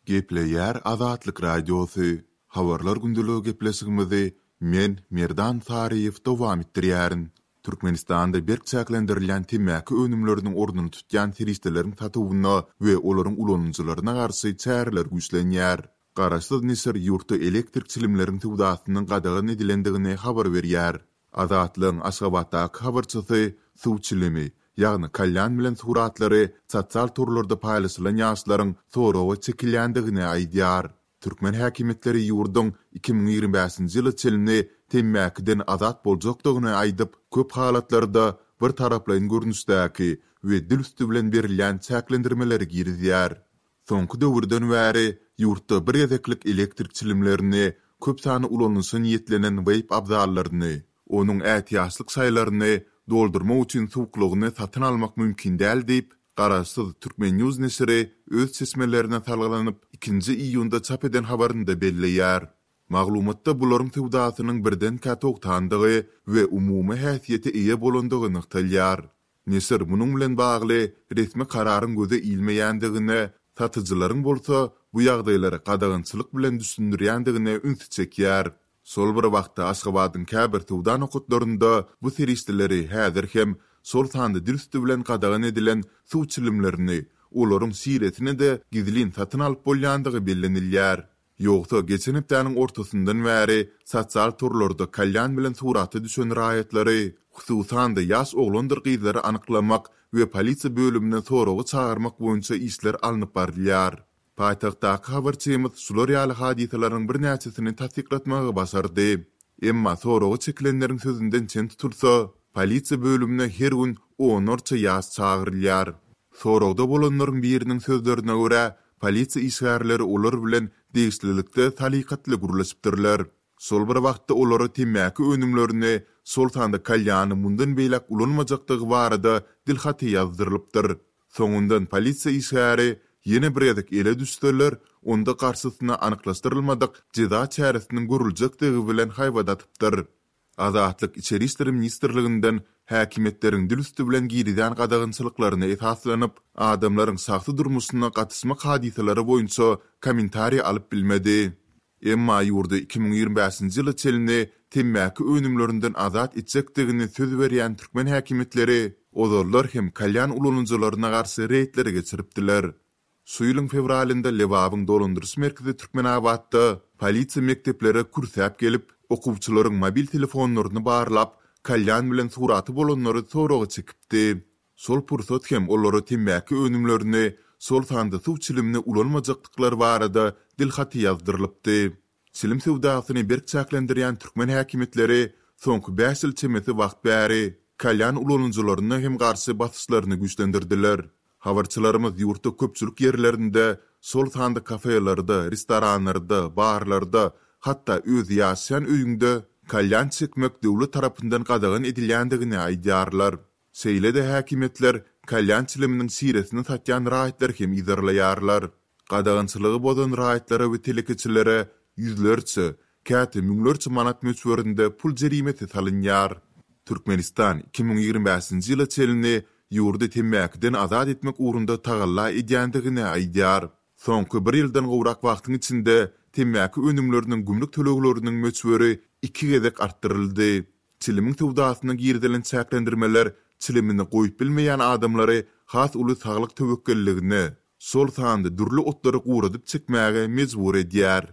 Gepleýär Azatlyk Radiosy, Habarlar gündeligi gepleşigimizi men, Merdan Saryýew dowam etdirýärin. Türkmenistanda berk çäklendirilýän temmäki önümleriniň ornuny tutýan serişdeleriň satuwyna we olaryň ulanyjylaryna garşy çäreler güýçlenýär. Garaşsyz neşir ýurtda elektrik çilimleriň söwdasynyň gadagan edilendigini habar berýär. Azatlygyň Aşgabatdaky habarçysy suw çilimi, ýagny kalýan bilen suratlary sosial torlarda paýlaşylan ýaşlaryň soraga çekilýändigini aýdýar. Türkmen häkimiýetleri ýurduň 2025-nji ýyla çenli temmäkiden azat boljakdygyny aýdyp, köp halatlarda bir taraplaýyn görnüşdäki we dil üsti bilen berilýän çäklendirmeleri girizýär. Soňky döwürden bäri ýurtda bir gezeklik elektrik çilimlerini, köp sanly ulanyşa niýetlenen weýp abzallaryny, onuň ätiýaçlyk şaýlaryny doldurmak üçin suwuklygyny satyn almak mümkin däl diýip, garaşsyz Turkmen. News neşiri öz çeşmelerine salgylanyp, ikinji iýunda çap eden habarynda belleýär. Maglumatda bularyň söwdasynyň birdenkä togtandygy we umumy häsiýete eýe bolandygy nygtalýar. Neşir munuň bilen bagly resmi kararyň göze ilmeýändigine, satyjylaryň bolsa bu ýagdaýlary gadagançylyk bilen düşündirýändigine ünsi çekýär. Şol bir wagtda Aşgabadyň käbir söwda nokatlarynda bu serişdeleri häzir hem, şol sanda dil üsti bilen gadagan edilen suw çilimlerini, olaryň şiresini-de gizlin satyn alyp bolýandygy bellenilýär. Ýogsa, geçen hepdäniň ortasyndan bäri sosial torlarda kalýan bilen surata düşen raýatlary, hususan-da ýaş oglandyr gyzlary anyklamak we polisiýa bölümine soraga çagyrmak boýunça işler alnyp barylýar. Paýtagtdaky habarçymyz şular ýaly hadysalaryň birnäçesini tassyklatmagy başardy. Emma soraga çekilenleriň sözünden çen tutulsa, polisiýa bölümine her gün onlarça ýaş çagyrylýar. Soragda bolanlaryň biriniň sözlerine görä, polisiýa işgärleri olar bilen degişlilikde salykatly gürleşipdirler. Şol bir wagtda olara temmäki önümlerini, şol sanda kalýany mundan beýläk ulanmajakdygy barada dilhaty ýazdyrylypdyr. Soňundan polisiýa işgäri ýene bir gezek ele düşseler, onda garşysyna anyklaşdyrylmadyk jeza çäresiniň görüljekdigi bilen haýbat atypdyr. Azatlyk Içeri işler ministrliginden häkimiýetleriň dil üsti bilen girizýän gadagançylyklaryna esaslanyp, adamlaryň şahsy durmuşyna gatyşmak hadysalary boýunça kommentariý alyp bilmedi. Emma ýurdy 2025-nji ýyla çenli temmäki önümlerinden azat etjekdigini söz berýän türkmen häkimiýetleri ozallar hem kalýan ulanyjylaryna garşy reýdleri geçiripdiler. Şu ýylyň fewralynda Lebabyň dolandyryş merkezi Türkmenabatda polisiýa mekdeplere kürsäp gelip, okuwçylaryň mobil telefonlaryny barlap, kalýan bilen suraty bolanlary soraga çekipdi. Şol pursat hem olara temmäki önümlerini, şol sanda suw çilimini ulanmajakdyklary barada dilhaty ýazdyrylypdy. Çilim söwdasyny berk çäklendirýän türkmen häkimiýetleri soňky bäş ýyl çemesi wagt bäri kalýan ulanyjylaryna hem garşy basyşlaryny güýçlendirdiler. Habarçylarymyz ýurtda köpçülik ýerlerinde, şol sanda kafelerde, restoranlarda, barlarda, hatda öz ýaşaýan öýüňde kalýan çekmek döwlet tarapyndan gadagan edilýändigini aýdýarlar. Şeýle-de häkimiýetler kalýan çiliminiň şiresini satýan raýatlary hem yzarlaýarlar. Gadagançylygy bozan raýatlara we telekeçilere ýüzlerçe, käte müňlerçe manat möçberinde pul jerimesi salynýar. Türkmenistan 2025-nji ýyla çenli ýurdy temmäkiden azat etmek ugrunda tagalla edýändigini aýdýar. Soňky bir ýyldan gowrak wagtyň içinde temmäki önümleriniň gümrük tölegleriniň möçberi iki gezek artdyryldy. Çilimiň söwdasyna girizilen çäklendirmeler çilimini goýup bilmeýän adamlary has uly saglyk töwekgelligine, şol sanda dürli otlary guradyp çekmäge mejbur edýär.